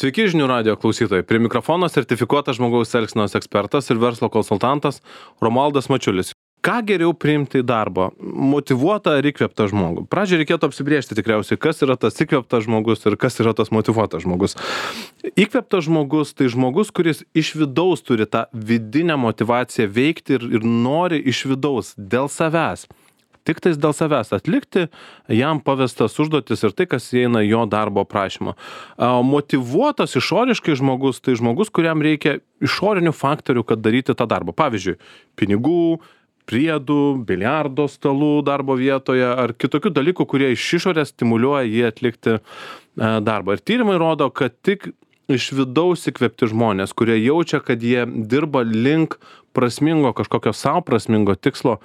Sveiki žinių radijo klausytojai. Prie mikrofono sertifikuotas žmogaus elgsenos ekspertas ir verslo konsultantas Romualdas Mačiulis. Ką geriau priimti į darbą? Motyvuotą ar įkvėptą žmogų? Pradžiai reikėtų apsibrėžti tikriausiai, kas yra tas įkvėptas žmogus ir kas yra tas motyvuotas žmogus. Įkvėptas žmogus tai žmogus, kuris iš vidaus turi tą vidinę motyvaciją veikti ir nori iš vidaus dėl savęs. Tik tais dėl savęs atlikti jam pavestas užduotis ir tai, kas įeina jo darbo aprašymą. Motyvuotas išoriškai žmogus, tai žmogus, kuriam reikia išorinių faktorių, kad daryti tą darbą. Pavyzdžiui, pinigų, priedų, biliardo stalų darbo vietoje ar kitokių dalykų, kurie iš išorės stimuliuoja jį atlikti darbą. Ir tyrimai rodo, kad tik iš vidaus įkvėpti žmonės, kurie jaučia, kad jie dirba link prasmingo, kažkokio savo prasmingo tikslo,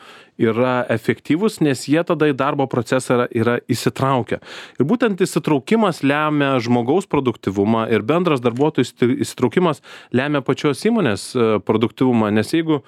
yra efektyvus, nes jie tada į darbo procesą yra įsitraukę. Ir būtent įsitraukimas lemia žmogaus produktyvumą ir bendras darbuotojų įsitraukimas lemia pačios įmonės produktyvumą, nes jeigu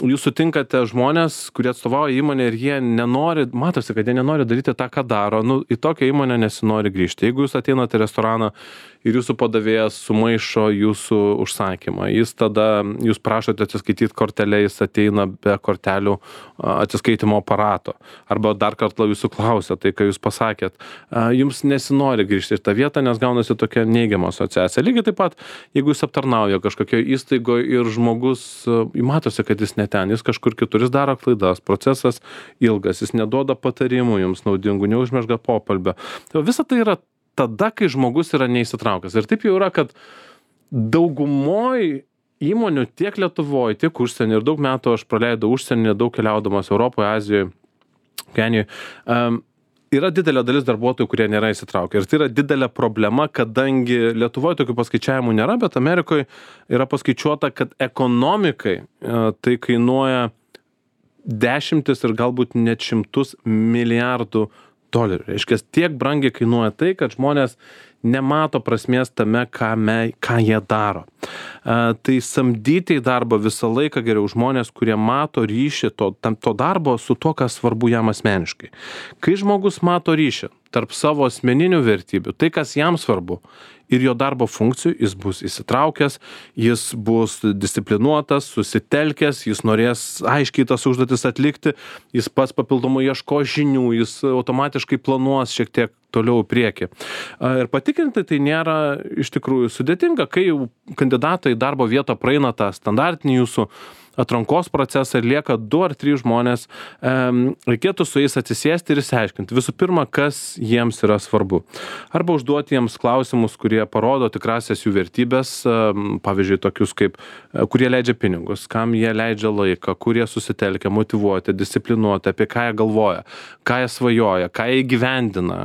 jūs sutinkate žmonės, kurie atstovauja įmonę ir jie nenori, matosi, kad jie nenori daryti tą, ką daro, į tokią įmonę nesinori grįžti. Jeigu jūs ateinate į restoraną ir jūsų padavėjas sumaišo jūsų užsakymą, jūs prašote atsiskaityti kortelę, jis ateina be kortelių atsiskaitimo aparato, arba dar kartą jūsų klausia tai, ką jūs pasakėt, jums nesinori grįžti į tą vietą, nes gaunasi tokia neigiama asociacija. Lygiai taip pat, jeigu jūs aptarnauja kažkokio įstaigoje ir žmogus, matosi, kad jis ne ten, jis kažkur kitur, jis daro klaidas, procesas ilgas, jis neduoda patarimų jums naudingų, neužmezga pokalbio. Tai visa tai yra tada, kai žmogus yra neįsitraukęs. Ir taip jau yra, kad daugumoj įmonių tiek Lietuvoje, tiek užsienį, ir daug metų aš praleidau užsienį, daug keliaudamas Europoje, Azijoje, Kenijoje, yra didelė dalis darbuotojų, kurie nėra įsitraukę. Ir tai yra didelė problema, kadangi Lietuvoje tokių paskaičiavimų nėra, bet Amerikoje yra paskaičiuota, kad ekonomikai tai kainuoja dešimtis ir galbūt net šimtus milijardų dolerių. Reiškia, tiek brangiai kainuoja tai, kad žmonės nemato prasmės tame, ką jie daro. Tai samdyti į darbą visą laiką geriau žmonės, kurie mato ryšį to darbo su to, kas svarbu jam asmeniškai. Kai žmogus mato ryšį tarp savo asmeninių vertybių, tai, kas jam svarbu, ir jo darbo funkcijų, jis bus įsitraukęs, jis bus disciplinuotas, susitelkęs, jis norės aiškiai tas užduotis atlikti, jis pats papildomai ieško žinių, jis automatiškai planuos šiek tiek toliau į priekį. Ir patikrinti tai nėra iš tikrųjų sudėtinga, kai jau kandidatai į darbo vietą praeina tą standartinį jūsų atrankos procesą ir lieka 2 ar 3 žmonės, reikėtų su jais atsisėsti ir išsiaiškinti. Visų pirma, kas jiems yra svarbu. Arba užduoti jiems klausimus, kurie parodo tikrasias jų vertybės, pavyzdžiui, tokius kaip, kurie leidžia pinigus, kam jie leidžia laiką, kurie susitelkia, motyvuoti, disciplinuoti, apie ką jie galvoja, ką jie svajoja, ką jie įgyvendina,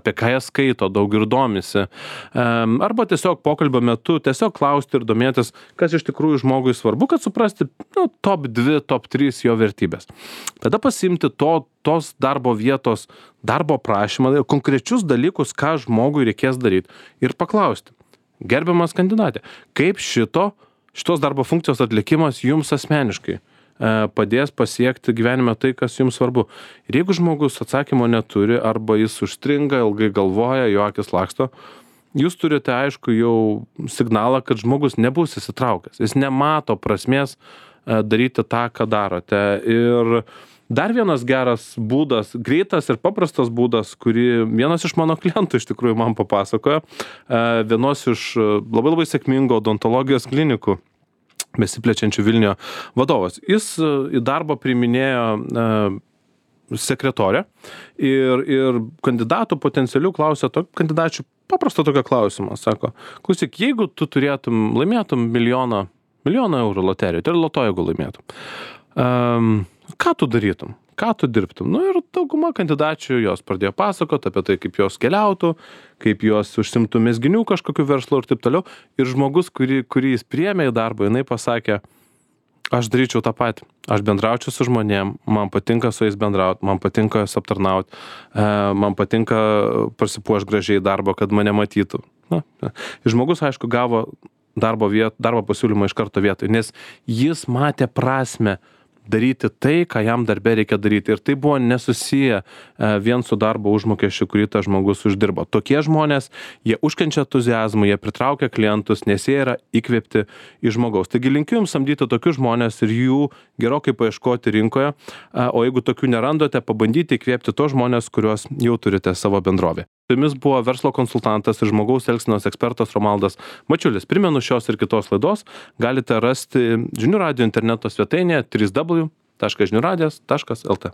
apie ką jie skaito, daug ir domisi. Arba tiesiog pokalbio metu tiesiog klausti ir domėtis, kas iš tikrųjų žmogui svarbu, kad suprasti top 2, top 3 jo vertybės. Tada pasiimti tos darbo vietos, darbo prašymą, konkrečius dalykus, ką žmogui reikės daryti ir paklausti. Gerbiamas kandidatė, kaip šitos darbo funkcijos atlikimas jums asmeniškai padės pasiekti gyvenime tai, kas jums svarbu. Ir jeigu žmogus atsakymo neturi arba jis užstringa, ilgai galvoja, jo akis laksto, jūs turite aišku jau signalą, kad žmogus nebus įsitraukęs. Jis nemato prasmės daryti tą, ką darote. Ir dar vienas geras būdas, greitas ir paprastas būdas, kurį vienas iš mano klientų iš tikrųjų man papasakojo, vienos iš labai sėkmingo odontologijos klinikų besiplečiančių Vilniuje vadovas. Jis į darbą priiminėjo sekretorė ir kandidatų potencialių klausė kandidačių paprasto tokio klausimo. Sako, klausyk, jeigu tu laimėtum milijoną eurų loterijoje, tai loto, jeigu laimėtum, ką tu darytum? Ką tu dirbtum? Ir dauguma kandidačių jos pradėjo pasakoti apie tai, kaip jos keliautų, kaip jos užsimtų mezginių kažkokiu verslu ir taip toliau. Ir žmogus, kurį jis priėmė į darbą, jinai pasakė, aš daryčiau tą patį. Aš bendraučiau su žmonėm, man patinka su jais bendrauti, man patinka jas aptarnauti, man patinka prasipuošti gražiai darbą, kad mane matytų. Ir žmogus, aišku, gavo darbo pasiūlymą iš karto vietoj, nes jis matė prasmę daryti tai, ką jam darbe reikia daryti. Ir tai buvo nesusiję vien su darbo užmokesčiu, kurį tas žmogus uždirbo. Tokie žmonės, jie užkenčia entuziazmą, jie pritraukia klientus, nes jie yra įkvėpti iš žmogaus. Taigi linkiu jums samdyti tokius žmonės ir jų gerokai paieškoti rinkoje, o jeigu tokių nerandote, pabandyti įkvėpti tos žmonės, kuriuos jau turite savo bendrovė. Su jumis buvo verslo konsultantas ir žmogaus elgsenos ekspertas Romaldas Mačiulis. Primenu, šios ir kitos laidos galite rasti Žinių radijo interneto svetainėje www.žiniuradijas.lt.